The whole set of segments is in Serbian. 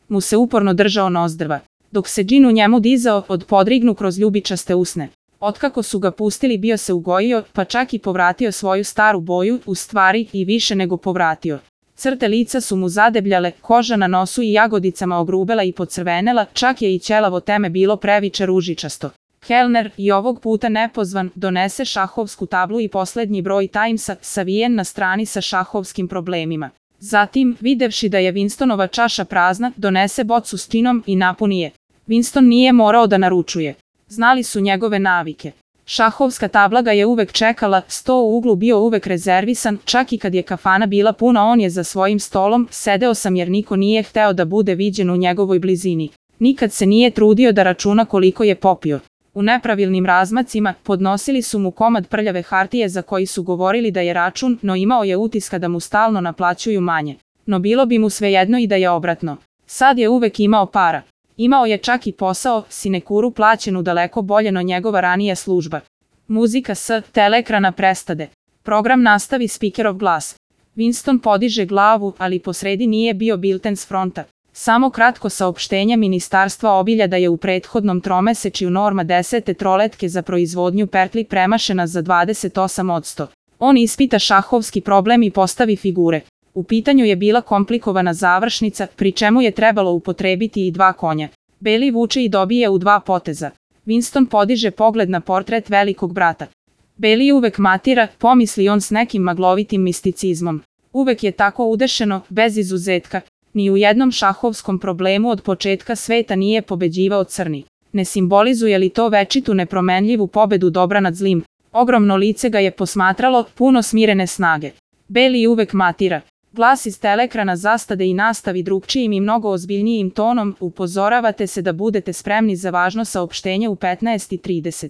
mu se uporno držao nozdrva, dok se džin u njemu dizao od podrignu kroz ljubičaste usne. Otkako su ga pustili bio se ugojio, pa čak i povratio svoju staru boju, u stvari i više nego povratio. Crte lica su mu zadebljale, koža na nosu i jagodicama ogrubela i pocrvenela, čak je i ćelavo teme bilo previše ružičasto. Kellner, i ovog puta nepozvan, donese šahovsku tablu i poslednji broj Timesa, savijen na strani sa šahovskim problemima. Zatim, videvši da je Winstonova čaša prazna, donese bocu s džinom i napuni je. Winston nije morao da naručuje. Znali su njegove navike. Šahovska tabla ga je uvek čekala, sto u uglu bio uvek rezervisan, čak i kad je kafana bila puna on je za svojim stolom, sedeo sam jer niko nije hteo da bude viđen u njegovoj blizini. Nikad se nije trudio da računa koliko je popio. U nepravilnim razmacima podnosili su mu komad prljave hartije za koji su govorili da je račun, no imao je utiska da mu stalno naplaćuju manje. No bilo bi mu svejedno i da je obratno. Sad je uvek imao para. Imao je čak i posao, sinekuru plaćenu daleko bolje no njegova ranija služba. Muzika s teleekrana prestade. Program nastavi spikerov glas. Winston podiže glavu, ali posredi nije bio bilten s fronta. Samo kratko saopštenje Ministarstva obilja da je u prethodnom tromesečju norma 10. troletke za proizvodnju pertli premašena za 28%. On ispita šahovski problem i postavi figure. U pitanju je bila komplikovana završnica, pri čemu je trebalo upotrebiti i 2 konja. Beli vuče i dobije u 2 poteza. Winston podiže pogled na portret velikog brata. Beli uvek matira, pomisli on s nekim maglovitim misticizmom. Uvek je tako udešeno, bez izuzetka. Ni u jednom šahovskom problemu od početka sveta nije pobeđivao crni. Ne simbolizuje li to večitu nepromenljivu pobedu dobra nad zlim? Ogromno lice ga je posmatralo, puno smirene snage. Beli uvek matira. Glas iz teleekrana zastade i nastavi drugčijim i mnogo ozbiljnijim tonom, upozoravate se da budete spremni za važno saopštenje u 15:30.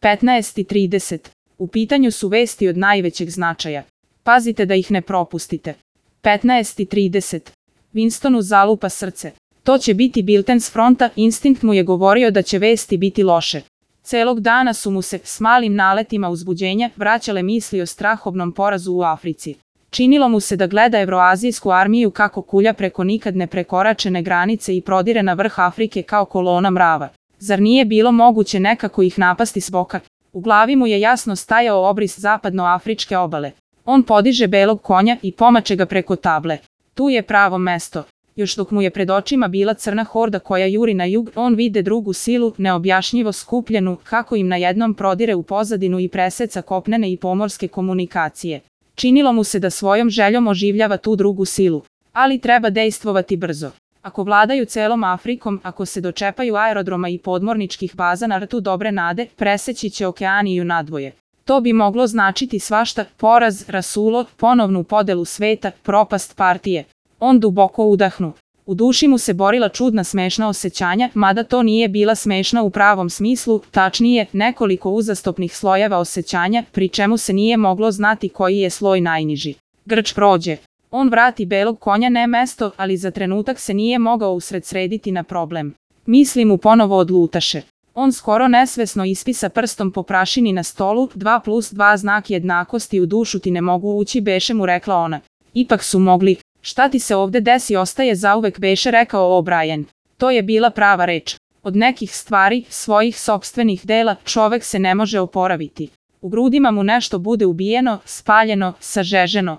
15:30. U pitanju su vesti od najvećeg značaja. Pazite da ih ne propustite. 15:30. Winstonu zalupa srce. To će biti bilten s fronta, instinkt mu je govorio da će vesti biti loše. Celog dana su mu se, s malim naletima uzbuđenja, vraćale misli o strahovnom porazu u Africi. Činilo mu se da gleda evroazijsku armiju kako kulja preko nikad ne prekoračene granice i prodire na vrh Afrike kao kolona mrava. Zar nije bilo moguće nekako ih napasti s boka? U glavi mu je jasno stajao obris zapadnoafričke obale. On podiže belog konja i pomače ga preko table. Tu je pravo mesto. Još dok mu je pred očima bila crna horda koja juri na jug, on vide drugu silu, neobjašnjivo skupljenu, kako im na jednom prodire u pozadinu i preseca kopnene i pomorske komunikacije. Činilo mu se da svojom željom oživljava tu drugu silu. Ali treba dejstvovati brzo. Ako vladaju celom Afrikom, ako se dočepaju aerodroma i podmorničkih baza na rtu dobre nade, preseći će okeaniju nadvoje. To bi moglo značiti svašta, poraz, rasulo, ponovnu podelu sveta, propast partije. On duboko udahnu. U duši mu se borila čudna smešna osjećanja, mada to nije bila smešna u pravom smislu, tačnije, nekoliko uzastopnih slojeva osjećanja, pri čemu se nije moglo znati koji je sloj najniži. Grč prođe. On vrati belog konja ne mesto, ali za trenutak se nije mogao usredsrediti na problem. Misli mu ponovo odlutaše. On skoro nesvesno ispisa prstom po prašini na stolu, 2+2 znak jednakosti u dušu ti ne mogu ući beše mu rekla ona. Ipak su mogli. Šta ti se ovde desi ostaje zauvek beše rekao O'Brien. To je bila prava reč. Od nekih stvari, svojih sopstvenih dela, čovek se ne može oporaviti. U grudima mu nešto bude ubijeno, spaljeno, sažeženo.